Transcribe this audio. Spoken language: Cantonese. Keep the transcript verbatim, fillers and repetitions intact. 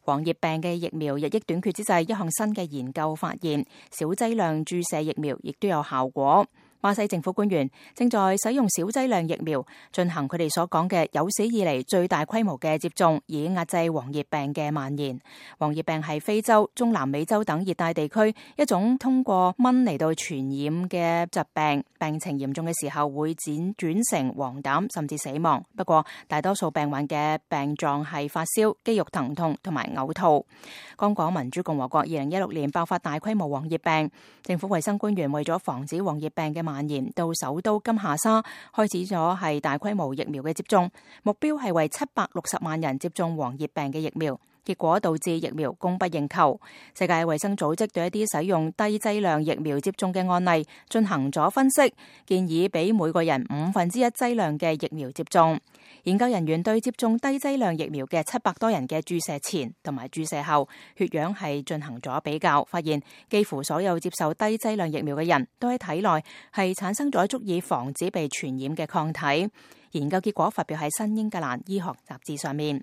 黃熱病嘅疫苗日益短缺之際，一項新嘅研究發現，小劑量注射疫苗亦都有效果。巴西政府官員正在使用小劑量疫苗進行佢哋所講嘅有史以嚟最大規模嘅接種，以壓制黃熱病嘅蔓延。黃熱病係非洲、中南美洲等熱帶地區一種通過蚊嚟到傳染嘅疾病，病情嚴重嘅時候會輾轉成黃疸甚至死亡。不過大多數病患嘅病狀係發燒、肌肉疼痛同埋嘔吐。剛果民主共和國二零一六年爆發大規模黃熱病，政府衛生官員為咗防止黃熱病嘅蔓延，到首都金夏沙開始咗係大規模疫苗嘅接種，目標係為七百六十萬人接種黃熱病嘅疫苗，結果導致疫苗供不應求。世界衛生組織對一啲使用低劑量疫苗接種嘅案例進行咗分析，建議俾每個人五分之一劑量嘅疫苗接種。研究人員對接種低劑量疫苗嘅七百多人嘅注射前同埋注射後血氧係進行咗比較，發現幾乎所有接受低劑量疫苗嘅人都喺體內係產生咗足以防止被傳染嘅抗體。研究結果發表喺新英格蘭醫學雜誌上面。